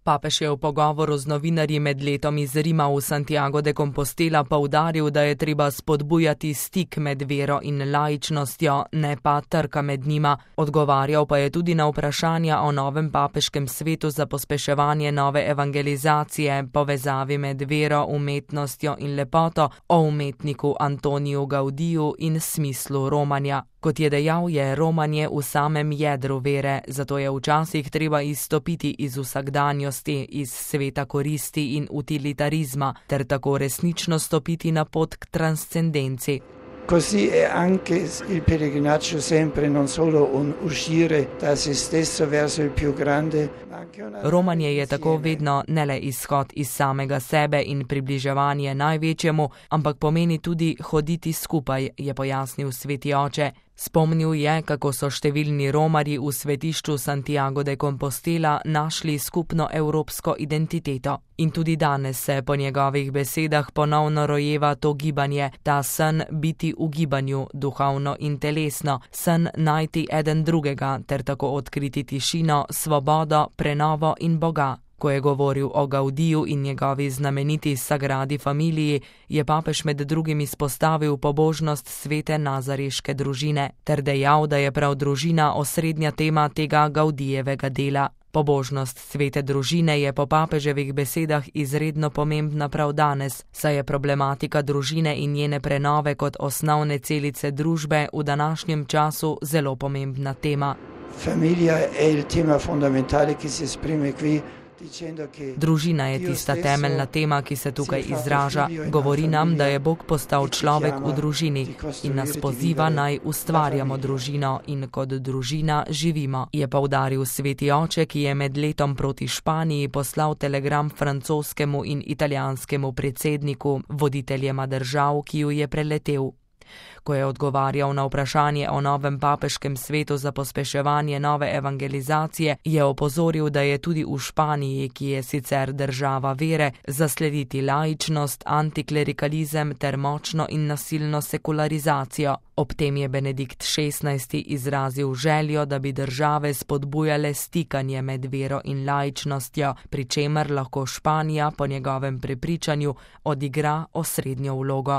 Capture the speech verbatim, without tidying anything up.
Papež je v pogovoru z novinarji med letom iz Rima v Santiago de Compostela poudaril, da je treba spodbujati stik med vero in laičnostjo, ne pa trka med njima. Odgovarjal pa je tudi na vprašanja o novem papeškem svetu za pospeševanje nove evangelizacije, povezavi med vero, umetnostjo in lepoto, o umetniku Antoniju Gaudiju in smislu romanja. Kot je dejal, je romanje v samem jedru vere, zato je včasih treba izstopiti iz vsakdanjosti, iz sveta koristi in utilitarizma, ter tako resnično stopiti na pot k transcendenci. Così è anche il pellegrinaggio sempre non solo un uscire da se stesso verso il più grande, ma anche una... Romanje je tako vedno ne le izhod iz samega sebe in približevanje največjemu, ampak pomeni tudi hoditi skupaj, je pojasnil sveti oče. Spomnil je, kako so številni romarji v svetišču Santiago de Compostela našli skupno evropsko identiteto. In tudi danes se po njegovih besedah ponovno rojeva to gibanje, ta sen biti v gibanju, duhovno in telesno, sen najti eden drugega ter tako odkriti tišino, svobodo, prenovo in Boga. Ko je govoril o Gaudiju in njegovi znameniti Sagradi Familiji, je papež med drugim izpostavil pobožnost svete nazareške družine ter dejal, da je prav družina osrednja tema tega Gaudijevega dela. Pobožnost svete družine je po papeževih besedah izredno pomembna prav danes, saj je problematika družine in njene prenove kot osnovne celice družbe v današnjem času zelo pomembna tema. Familia è il tema fondamentale che si esprime qui. Družina je tista temeljna tema, ki se tukaj izraža. Govori nam, da je Bog postal človek v družini in nas poziva, naj ustvarjamo družino in kot družina živimo, je poudaril sveti oče, ki je med letom proti Španiji poslal telegram francoskemu in italijanskemu predsedniku, voditeljema držav, ki ju je preletel. Ko je odgovarjal na vprašanje o novem papeškem svetu za pospeševanje nove evangelizacije, je opozoril, da je tudi v Španiji, ki je sicer država vere, zaslediti laičnost, antiklerikalizem ter močno in nasilno sekularizacijo. Ob tem je Benedikt šestnajsti izrazil željo, da bi države spodbujale stikanje med vero in laičnostjo, pri čemer lahko Španija po njegovem prepričanju odigra osrednjo vlogo.